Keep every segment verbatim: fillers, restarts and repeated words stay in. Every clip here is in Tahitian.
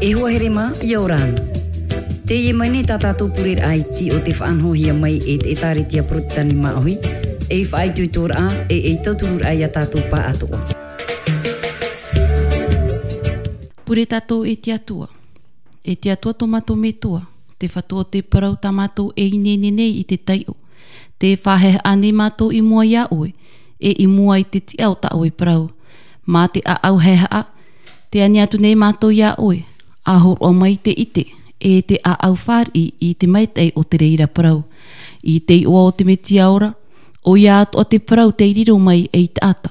E hoa here mā, ʻia ora na. Teie mai nei tā tātou pureraʻa iti o te faʻanahohia mai e te ʻĒtārētia Porotetani Māʻohi, ei faʻaitoitoraʻa, e ei tautururaʻa ia tātou pāʻatoʻa. Pure tātou e te Atua. E te Atua tō mātou Metua, te Fatu o te parau tā mātou e ineine nei i te taiʻo. Tē faʻahaehaʻa nei mātou i mua iā ʻoe, e i mua i te tiʻa o tā ʻoe parau. Mā te ʻāʻau haehaʻa, tē ani atu nei mātou iā ʻoe, ʻa hōroʻa mai te ʻite, e te ʻāʻau fāriʻi i te maitaʻi o te reira parau. I te iʻoa o te Metia ora, ʻoia atoʻa te parau tei riro mai ei taʻata.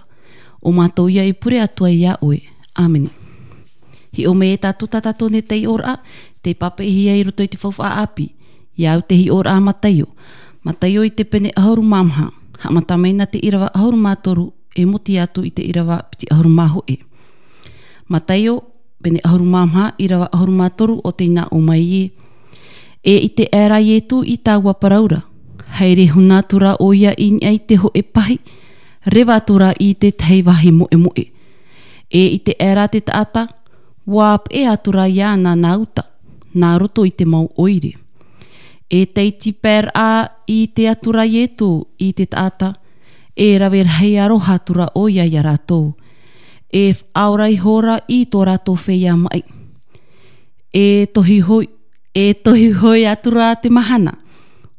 ʻO mātou ia e pure atu ai iā ʻoe. ʻĀmene. Hiʻo mai e tātou tā tātou nei taiʻoraʻa, tei pāpaʻihia i roto i te faufaʻa ʻāpī. Ia au te hiʻoraʻa Mataio. Mataio i te pene ʻahuru mā maha. Haʻamata mai nā te ʻīrava ʻahuru mā toru, e mōtia atu i te ʻīrava piti ʻahuru mā hōʻē. Mataio, pene ʻahuru mā maha, ʻīrava ʻahuru mā toru, ʻo tē nā ʻō mai ē. E ʻite aʻera Ietu i taua parau ra. Haere huna atu ra ʻoia i niʻa i te hōʻē pahi, reva atu ra i te tahi vāhi moʻemoʻe. E ʻite aʻera te taʻata, ʻua peʻe atu ra iāna nā uta, nā roto i te mau ʻoire. E tei tīpaeraʻa i te Atua Ietu i te taʻata, e rave rahi aroha atu ra ʻoia iā rātou. E faʻaora ihora i tō rātou feiā maʻi. E tohu hoi, e tohu hoi atu ra te mahana.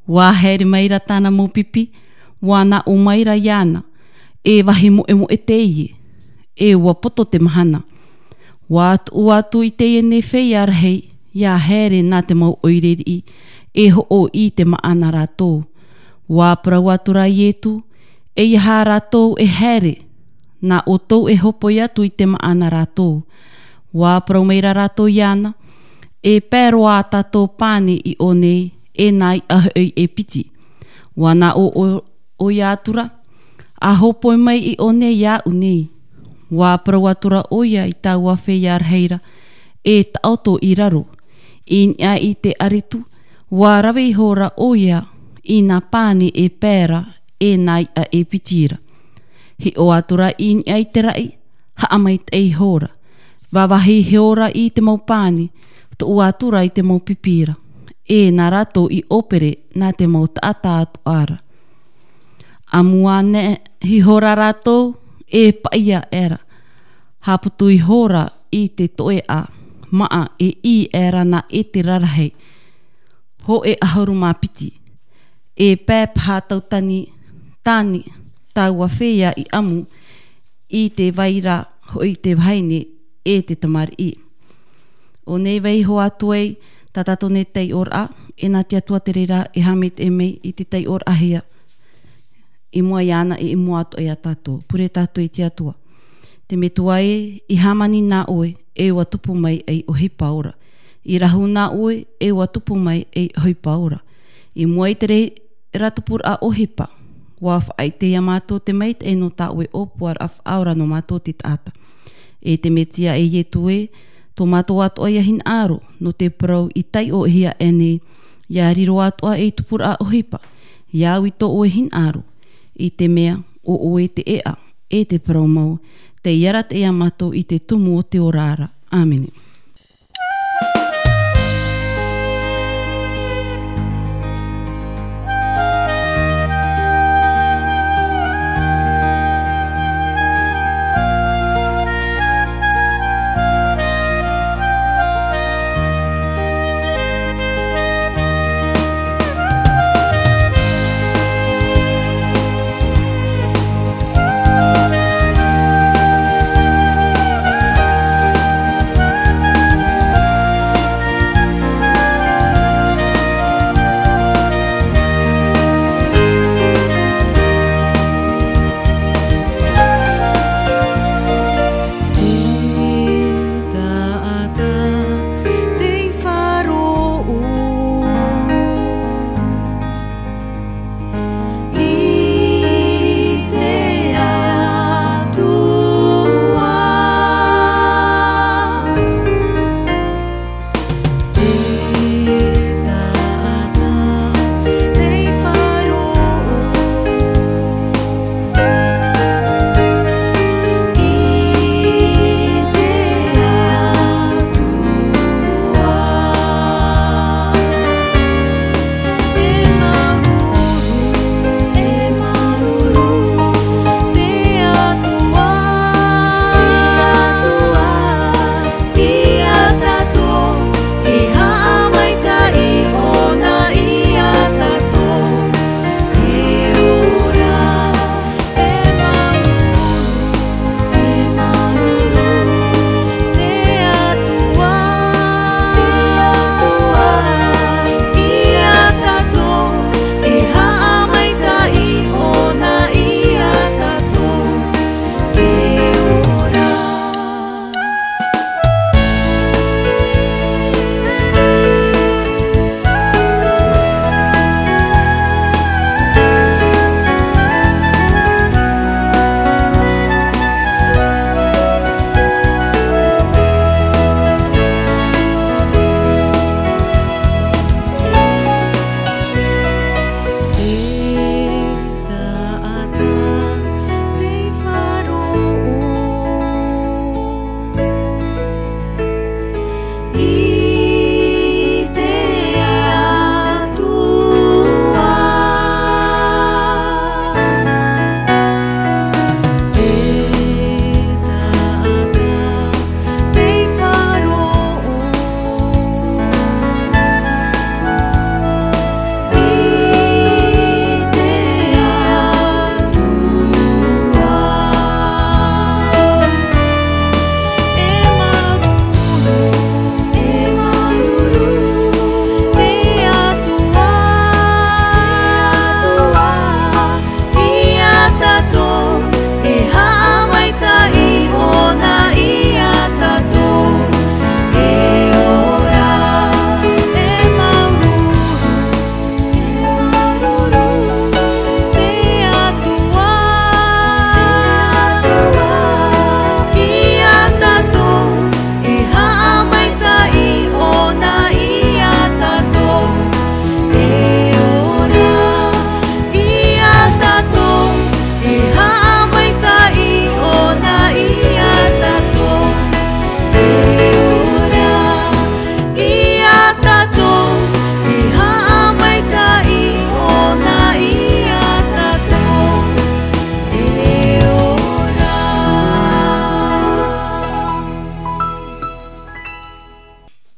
ʻUa haere mai ra tāna mau pipi, ʻua nā ʻō mai ra iāna, e vāhi moʻemoʻe teie, e ʻua poto te mahana. ʻUa tuʻu atu i teie nei feiā rahi, ʻia haere nā te mau ʻoire riʻi, e hoʻo i te māʻa nā rātou. ʻUa parau atu ra Ietu, ʻEiaha rātou e haere, nā ʻoutou e hopoi atu i te māʻa nā rātou. ʻUa parau mai ra rātou iāna, E pae roa ā tātou pani i ʻō nei, e nā iʻa hoʻi e piti. ʻUa nā ʻō ʻo, ʻoia atu ra, ʻA hopoi mai i ʻō nei iāʻu nei. ʻUa parau atu ra ʻoia i taua feiā rahi ra, E taʻoto i raro. I niʻa i te aretu, ʻua rave ihora ʻoia i nā pani e pae ra, e nā iʻa e piti ra. Hiʻo atu ra i niʻa i te raʻi, haʻamaitaʻi ihora. Vāvāhi ihora i te mau pani, tuʻu atu ra i te mau pipi ra. E nā rātou i ʻōpere nā te mau taʻata atoʻa ra. ʻAmu ānei ihora rātou, e paʻi aʻera. Haʻaputu ihora i te toeʻa, māʻa e ʻī aʻera nā ʻētera rahi. Hōʻē ʻahuru mā piti. E pae paha tau tani, tani, taua feiā i ʻamu, i te vai ra hoʻi te vahine e te tamariʻi. ʻO nei vaiiho atu ai, tā tātou nei taiʻoraʻa, e nā te Atua te reira e haʻamaitaʻi mai i te taiʻoraʻahia. I mua iāna e i mua atoʻa iā tātou. Pure tātou i te Atua. Te Metua ē, i hāmani nā ʻoe, e ʻua tupu mai ei ʻohipa ora. I rahu nā ʻoe, e ʻua tupu mai ei ʻohipa ora. I mua i te reira tupuraʻa ʻohipa, ʻua faʻaʻite iā mātou te maitaʻi nō tā ʻoe ʻōpuaraʻa faʻaora nō mātou te taʻata. E te Metia e Ietu ē, tō mātou atoʻa ia hinaʻaro, nō te parau i taiʻohia aʻenei, ʻia riro atoʻa ei tupuraʻa ʻohipa, ʻia au i tō ʻoe hinaʻaro, i te mea, ʻo ʻoe te ʻēʻa, e te parau mau, tei arataʻi iā mātou i te tumu o te ora ra. ʻĀmene.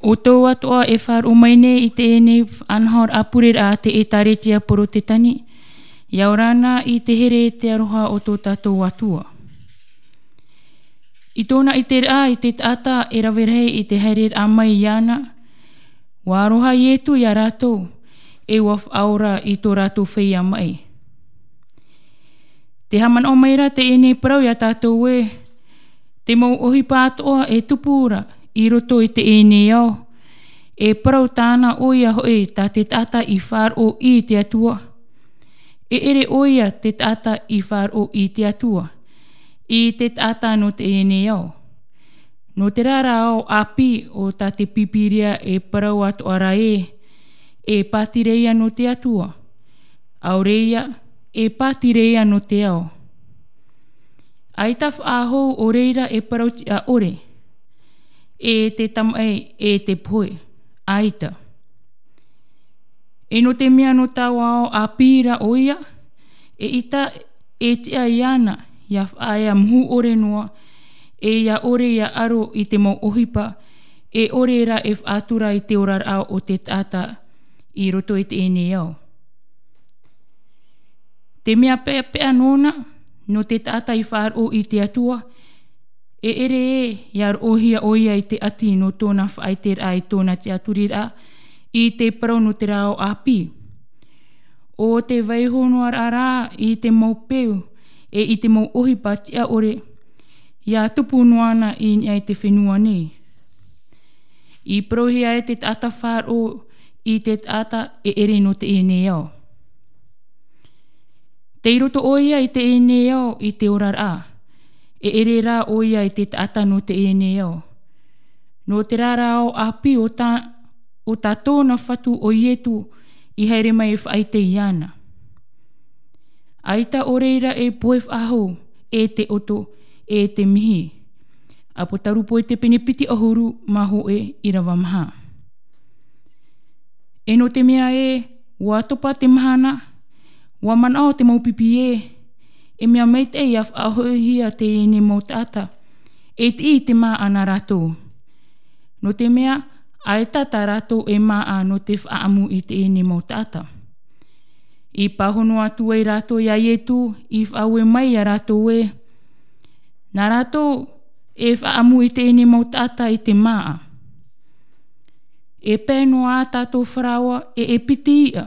ʻO tō atoʻa e faʻaroʻo mai nei i teie faʻanahoraʻa pureraʻa a te ʻĒtārētia Porotetani, ʻia ora na i te here e te aroha o tō tātou Atua. I tōna ʻiteraʻa i te taʻata e rave rahi i te haereraʻa mai iāna, ʻua aroha Ietu iā rātou, e ʻua faʻaora i tō rātou feiā maʻi. Tē haʻamanaʻo mai ra teie parau iā tātou ē, te mau ʻohipa atoʻa e tupu ra i roto i teie ao, e parau tāna ʻoia hoʻi tā te taʻata i faʻaroʻo i te Atua. E ʻere ʻoia te taʻata i faʻaroʻo i te Atua, i te taʻata nō teie ao. Nō terā rā ao ʻāpī o tā te Pīpīria e parau atoʻa ra ē, e pātireia nō te Atua. ʻAore ia, e pātireia nō te ao. ʻAita faʻahou ʻo reira e parau tiʻa ʻore, e te tamaʻi, e te pohe, ʻaita. E nō te mea nō taua ao ʻāpī ra ʻoia, eʻita e tiʻa iāna, ʻia faʻaea muhu ʻore noa, e ʻia ʻore ʻia aro i te mau ʻohipa, e ʻore ra e faʻatura i te oraraʻa o te taʻata i roto i teie ao. Te mea peʻapeʻa nōna, nō te taʻata i faʻaroʻo i te Atua, e ʻere ē, ʻia roʻohia ʻoia i te ʻati nō tōna faʻaiteraʻa i tōna tiʻaturiraʻa, i te parau nō terā ao ʻāpī. ʻO te vaiiho noa ra i te mau peu, e i te mau ʻohipa tiʻa ʻore, ʻia tupu noa na i niʻa i te fenua nei. I parauhia e te taʻata faʻaroʻo i te taʻata e ʻere nō teie ao. Tei roto ʻoia i teie ao i te oraraʻa, e ʻere rā ʻoia i te taʻata nō teie ao. Nō terā rā ao ʻāpī o tā, o tā tōna Fatu ʻo Ietu i haere mai e faʻaʻite iāna. ʻAita ʻo reira e pohe faʻahou, e te ʻoto, e te mihi. ʻApotarupo i te pene piti ʻahuru mā hōʻē ʻīrava maha. E nō te mea ē, ʻua topa te mahana, ʻua manaʻo te mau pipi ē, e mea maitaʻi ʻia faʻahoʻihia teie mau taʻata, e tiʻi i te māʻa nā rātou. Nō te mea, ʻaita tā rātou e māʻa nō te faʻaʻamu i teie mau taʻata. I pāhono atu ai rātou iā Ietu, i faʻaue mai iā rātou ē, nā rātou e faʻaʻamu i teie mau taʻata i te māʻa. E pae noa ā tātou faraoa, e, e piti iʻa.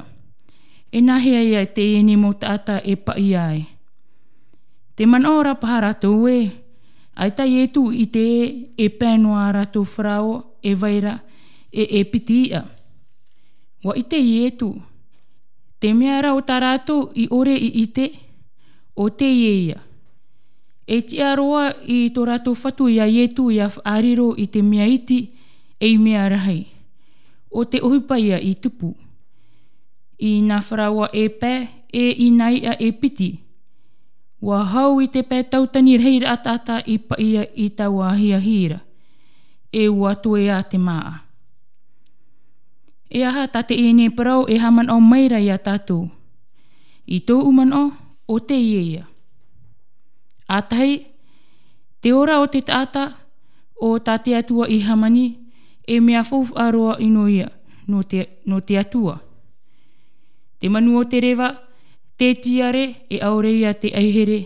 E nāhea ïa teie mau taʻata e paʻi ai? Tē manaʻo ra paha rātou ē, ʻaita Ietu i ʻite ē, e pae noa ā rātou faraoa, e vai ra, e, e piti iʻa. ʻUa ʻite Ietu, te mea ra ʻo tā rātou i ʻore i ʻite, ʻo teie ïa. E tiʻa roa i tō rātou Fatu iā Ietu ʻia faʻariro i te mea iti, ei mea rahi. ʻO te ʻohipa ïa i tupu. I nā faraoa e pae, e i nā iʻa e piti. ʻUa hau i te pae tautani rahiraʻa taʻata i paʻi i taua ahiahi ra. E ʻua toe ā te māʻa. E aha tā teie parau e haʻamanaʻo mai ra iā tātou? I tōʻu manaʻo, ʻo teie ïa. ʻA tahi, te ora o te taʻata, ʻo tā te Atua i hāmani, e mea faufaʻa roa ʻino ïa, nō te, nō te Atua. Te manu o te reva, te tiare, e ʻaore ïa te ʻaihere,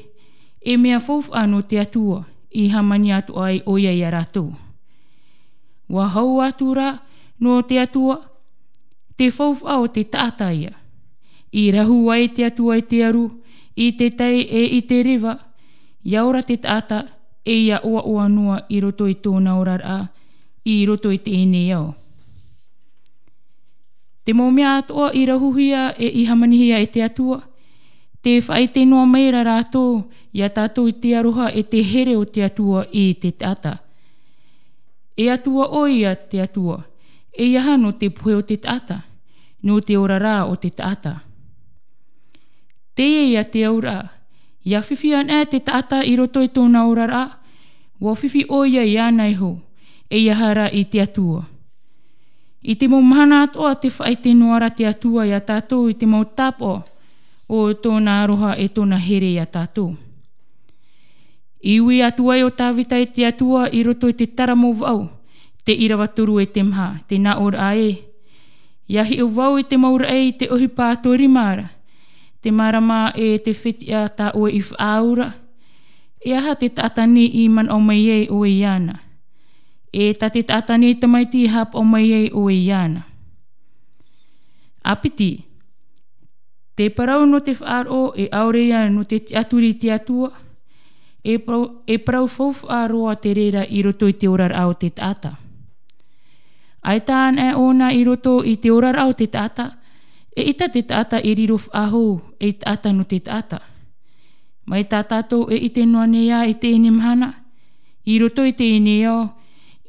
e mea faufaʻa nō te Atua, i hāmani atoʻa ai ʻoia iā rātou. ʻUa hau atu ra, nō te Atua, te faufaʻa o te taʻata ïa. I rahu ai te Atua i te aru, i te tai e i te reva, ʻia ora te taʻata, e ʻia ʻoaʻoa noa i roto i tōna oraraʻa, i roto i teie ao. Te mau mea atoʻa i rahuhia e i hāmanihia e te Atua, tē faʻaʻite noa mai ra rātou, iā tātou i te aroha e te here o te Atua i te taʻata. E Atua ʻoia te Atua, eiaha nō te pohe o te taʻata, nō te oraraʻa o te taʻata. Teie ïa te auraʻa, ʻia fifi anaʻe te taʻata i roto i tōna oraraʻa, ʻua fifi ʻoia iāna iho, eiaha ra i te Atua. I te mau mahana atoʻa tē faʻaʻite noa ra te Atua iā tātou i te mau tāpaʻo o tōna aroha e tōna here iā tātou. I ui atu ai ʻo Tāvita i te Atua i roto i te taramo vaʻu, Te ʻīrava toru e te maha, te nā ʻō ra ē. ʻIa hiʻo vau i te mau raʻi i te ʻohipa tōrima ra. Te mārama e te fetiʻa tā ʻoe i faʻaau ra. E aha te taʻata nei i manaʻo mai ai ʻoe iāna? E tā te taʻata nei tamaiti i haʻapaʻo mai ai ʻoe iāna? A piti, te parau nō te faʻaroʻo e ʻaore ia nō te tiʻaturi i te Atua, e parau, e parau faufaʻa roa te reira i roto i te oraraʻa o te taʻata. ʻAita anaʻe ʻōna i roto i te oraraʻa o te taʻata, eʻita te taʻata e riro faʻahou ei taʻata nō te taʻata. Mai tā tātou e ʻite noa nei ā i teie mahana, i roto i teie ao,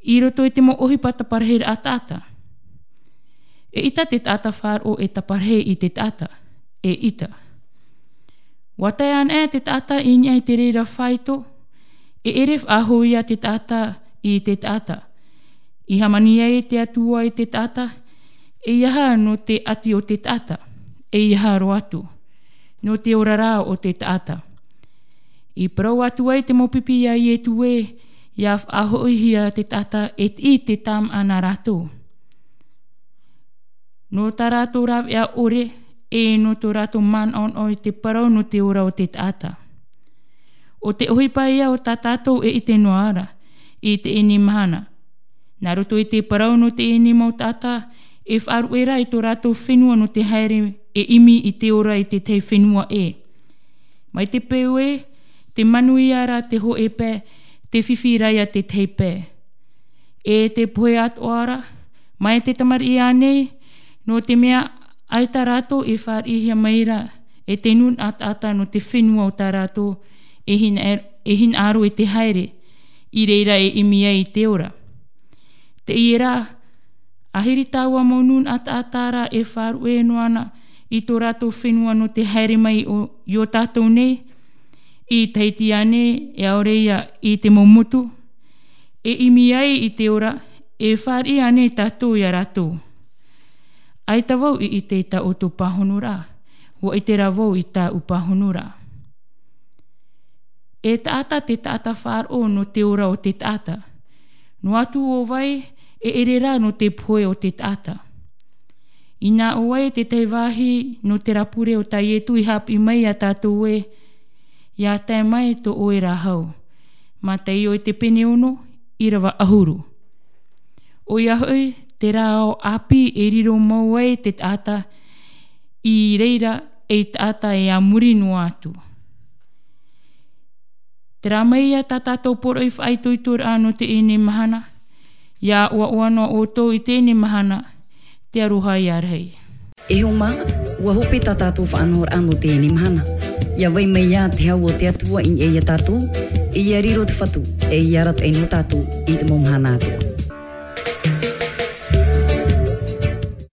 i roto i te mau ʻohipa taparahiraʻa taʻata. Eʻita te taʻata faʻaroʻo e taparahi i te taʻata, eʻita. ʻUa tae anaʻe te taʻata i niʻa i te reira faito, e ʻere faʻahou ia te taʻata i te taʻata. I hāmani ai te Atua i te taʻata, eiaha nō te ʻati o te taʻata, eiaha roa atu, nō te oraraʻa o te taʻata. I parau atu ai te mau pipi iā Ietu ē, ʻia faʻahoʻihia te taʻata e tiʻi te tāmaʻa nā rātou. Nō tā rātou rāveʻa ʻore, e nō tō rātou manaʻonaʻo i te parau nō te ora o te taʻata. ʻO te ʻohipa ia o tā tātou e ʻite noa ra, i teie mahana. Nā roto i te parau nō teie mau taʻata, e faʻaruʻe ra i tō rātou fenua nō te haere e ʻimi i te ora i te tahi fenua ʻē. Mai te peu ē, te manuia ra te hōʻē pae, te fifi ra ia te tahi pae. E te pohe atoʻa ra, mai te tamariʻi ānei, nō te mea ʻaita rātou e fāriʻihia mai ra, e te nūnaʻa taʻata nō te fenua o tā rātou, e hina, e hinaʻaro i te haere, i reira e ʻimi ai i te ora. Teie rā, ʻahiri taua mau nūnaʻa taʻata ra e faʻaruʻe noa na i tō rātou fenua nō te haere mai o, i ō tātou nei, i Tahiti ānei, e ʻaore ia i te mau motu, e ʻimi ai i te ora, e fāriʻi ānei tātou ia rātou. ʻAita vau i ʻite i tā ʻoutou pāhonoraʻa, ʻua ʻite rā vau i tāʻu pāhonoraʻa. E taʻata te taʻata faʻaroʻo nō te ora o te taʻata. Noa atu ʻo vai, e ʻere rā nō te pohe o te taʻata. Inā ʻo vai te tahi vāhi nō te rā pure o tā Ietu i haʻapiʻi mai ia tātou ē, ʻia tae mai tō ʻoe rāhau. Mataio i te pene ono, ʻīrava ʻahuru. ʻOia hoʻi, terā ao ʻāpī e riro mau ai te taʻata i reira ei taʻata e a muri noa atu. Terā mai ia tā tātou poroʻi faʻaitoitoraʻa nō teie mahana, ʻia ʻoaʻoa noa ʻoutou i teie mahana, te aroha ia rahi. E hoa mā, ʻua hope tā tātou faʻanahoraʻa nō teie mahana. ʻIa vai mai ā te hau o te Atua i niʻa ia tātou, e ʻia riro te Fatu, e ʻia arataʻi nō tātou i te mau mahana atoʻa.